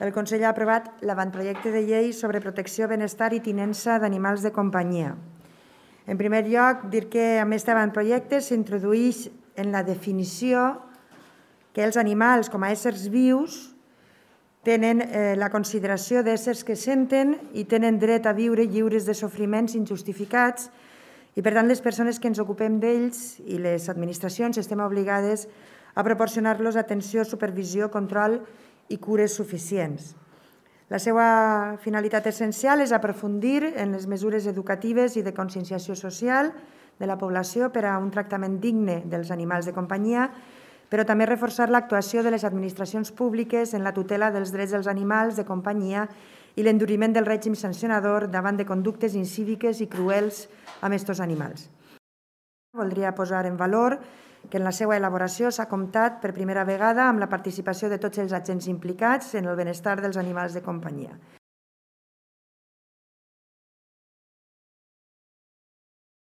el Consell ha aprovat l'avantprojecte de llei sobre protecció, benestar i tinença d'animals de companyia. En primer lloc, dir que amb aquest avantprojecte s'introdueix en la definició que els animals, com a éssers vius, tenen la consideració d'éssers que senten i tenen dret a viure lliures de sofriments injustificats i, per tant, les persones que ens ocupem d'ells i les administracions estem obligades a proporcionar-los atenció, supervisió, control i cures suficients. La seva finalitat essencial és aprofundir en les mesures educatives i de conscienciació social de la població per a un tractament digne dels animals de companyia, però també reforçar l'actuació de les administracions públiques en la tutela dels drets dels animals de companyia i l'enduriment del règim sancionador davant de conductes incíviques i cruels amb aquests animals. Voldria posar en valor que en la seva elaboració s'ha comptat per primera vegada amb la participació de tots els agents implicats en el benestar dels animals de companyia.